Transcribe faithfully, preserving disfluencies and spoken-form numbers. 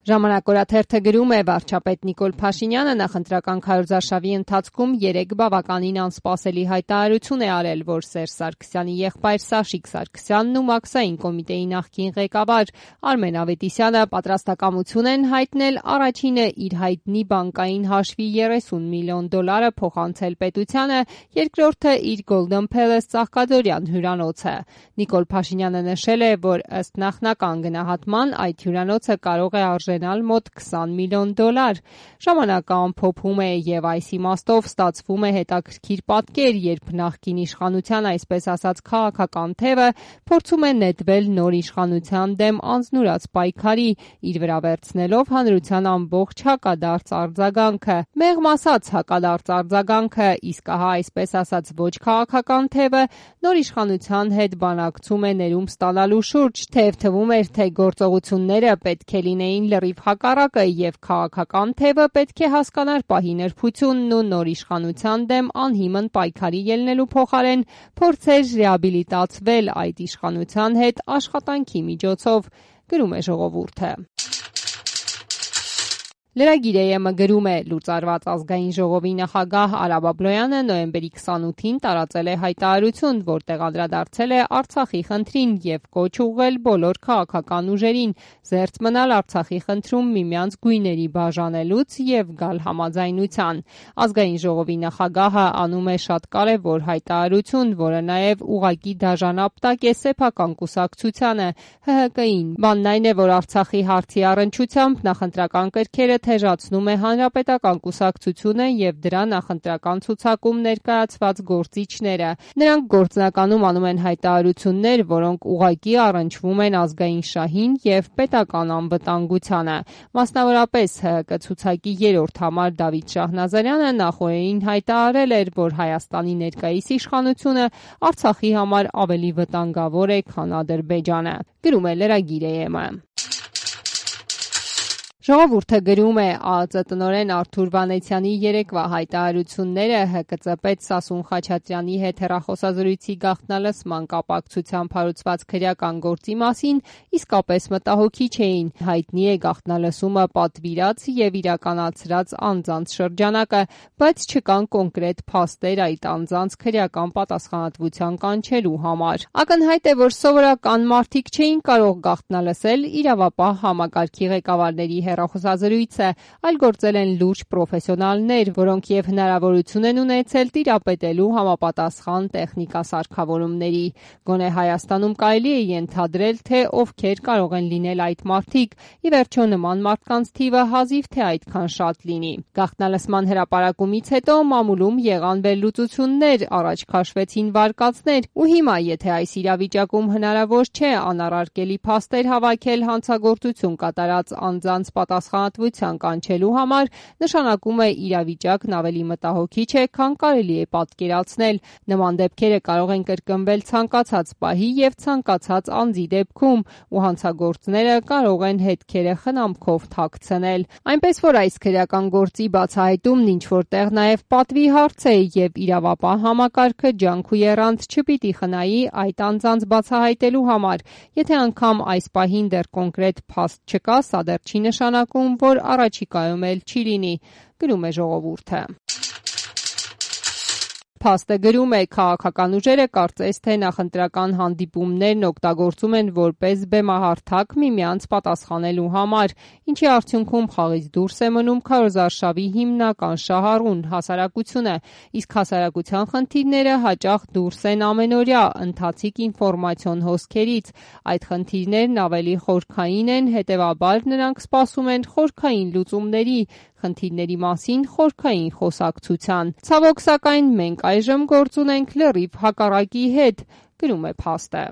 Ժամանակ օրաթերթը գրում է վարչապետ Նիկոլ Փաշինյանը նախընտրական քարոզարշավի ընթացքում երեք բավականին անսպասելի հայտարարություն է արել, որ Սերժ Սարգսյանի եղբայր Սաշիկ Սարգսյանն ու Մաքսային կոմիտեի նախկին ղեկավար Արմեն Ավետիսյանը պատրաստակամություն են հայտնել առաջինը իր հայտնի բանկային հաշվի երեսուն միլիոն դոլարը փոխանցել պետությանը, երկրորդը իր Golden Palace ծաղկադորյան հյուրանոցը։ Նիկոլ Փաշինյանը նշել է, որ ըստ նախնական գնահատման այդ հյուրանոցը կարող է արժենալ մոտ քսան միլիոն դոլար։ Ժամանակը ամփոփում է եւ այս իմաստով ստացվում է հետաքրքիր պատկեր, երբ նախկին իշխանության այսպես ասած քաղաքական թևը փորձում է նետվել նոր իշխանության դեմ անձնուրաց պայքարի, իր վրա վերցնելով հանրության ամբողջ հակադարձ արձագանքը։ Մեղմ ասած հակադարձ արձագանքը, իսկ ահա այսպես ասած ոչ քաղաքական թևը նոր իշխանության հետ բանակցում է ներում ստանալու շուրջ, թեև թվում էր, թե գործողությունները պետք է լինեին լրիվ հակառակը եւ քաղաքական թևը պետք է հասկանար պահի նրբությունն ու նոր իշխանության դեմ անհիմն պայքարի ելնելու փոխարեն փորձեր ռեաբիլիտացվել այդ իշխանության հետ աշխատանքի միջոցով, գրում է Ժողովուրդը։ Լրագիր.am-ը գրում է. լուծարված ազգային ժողովի նախագահ Արա Բաբլոյանը նոյեմբերի քսանութին տարածել է հայտարարություն, որտեղ անդրադարձել է Արցախի խնդրին եւ կոչ ուղղել բոլոր քաղաքական ուժերին զերծ մնալ Արցախի խնդրում միմյանց գույների բաժանելուց եւ գալ համաձայնության։ Ազգային ժողովի նախագահը անում է շատ կարեւոր հայտարարություն, որը նաեւ ուղղակի դաժանապտակ է սեփական կուսակցությանը Հ Հ Կ-ին։ Բանն այն է, որ Արցախի հարցի առնչությամբ նախընտրական կրքերը թեժացնում է հանրապետական կուսակցությունը եւ դրա նախընտրական ցուցակում ներկայացված գործիչները։ Նրանք գործնականում անում են հայտարարություններ, որոնք ուղղակի առնչվում են ազգային շահին եւ պետական անվտանգությանը։ Մասնավորապես Հ Հ Կ ցուցակի երրորդ համար Դավիթ Շահնազարյանը նախորդին հայտարարել էր, որ Հայաստանի ներկայիս իշխանությունը Արցախի համար ավելի վտանգավոր է, քան Ադրբեջանը, գրում է Լրագիր.am-ը։ Ժողովուրդը գրում է. Ա Ծ տնօրեն Արթուր Վանեցյանի երեկվա հայտարարությունները Հ Կ Ծ պետ Սասուն Խաչատրյանի հետ հեռախոսազրույցի գաղտնալսման կապակցությամբ հարուցված քրեական գործի մասին իսկապես մտահոգիչ էին։ Հայտնի է գաղտնալսումը պատվիրած եւ իրականացրած անձանց շրջանակը, բայց չկան կոնկրետ փաստեր այդ անձանց քրեական պատասխանատվության կանչելու համար։ Ակնհայտ է, որ սովորական մարդիկ չէին կարող գաղտնալսել իրավապահ համակարգի ղեկավարների հեռախոսազրույցը, այլ գործել են լուրջ պրոֆեսիոնալներ, որոնք եւ հնարավորություն են ունեցել տիրապետելու համապատասխան տեխնիկասարքավորումների։ Գոնե Հայաստանում կարելի է ենթադրել, թե ովքեր կարող են լինել այդ մարդիկ, ի վերջո նման մարդկանց թիվը հազիվ թե այդքան շատ լինի։ Գաղտնալսման հրապարակումից հետո մամուլում եղան վերլուծություններ, առաջ քաշվեցին վարկածներ, ու հիմա, եթե այս իրավիճակում հնարավոր չէ անառարկելի փաստեր հավաքել հանցագործություն կատարած անձանց պատասխանատվության կանչելու համար, նշանակում է իրավիճակն ավելի մտահոգիչ է, քան կարելի է պատկերացնել։ Նման դեպքերը կարող են կրկնվել ցանկացած պահի եւ ցանկացած անձի դեպքում, ու հանցագործները կարող են հետքերը խնամքով թաքցնել։ Այնպես որ այս քրեական գործի բացահայտումն ինչ որտեղ նաեւ պատվի հարց է եւ իրավապահ համակարգը ջանք ու եռանդ չպիտի խնայի այդ անձանց բացահայտելու համար։ Եթե անգամ այս պահին դեռ կոնկրետ փաստ չկա, սա դեռ չի նշանակում, որ առաջիկայում էլ չի լինի, գրում է Ժողովուրդը։ Փաստը գրում է. քաղաքական ուժերը կարծես թե նախընտրական հանդիպումներն օգտագործում են որպես բեմահարթակ միմյանց պատասխանելու համար, ինչի արդյունքում խաղից դուրս է մնում քարոզարշավի հիմնական շահառուն հասարակությունը, իսկ հասարակության խնդիրները հաճախ դուրս են ամենօրյա ընթացիկ ինֆորմացիոն հոսքերից։ Այդ խնդիրներն ավելի խորքային են, հետևաբար նրանք սպասում են խորքային լուծումների, խնդիրների մասին խորքային խոսակցության։ Ցավոք սակայն մենք այժմ գործ ունենք լրիվ հակառակի հետ, գրում է փաստը։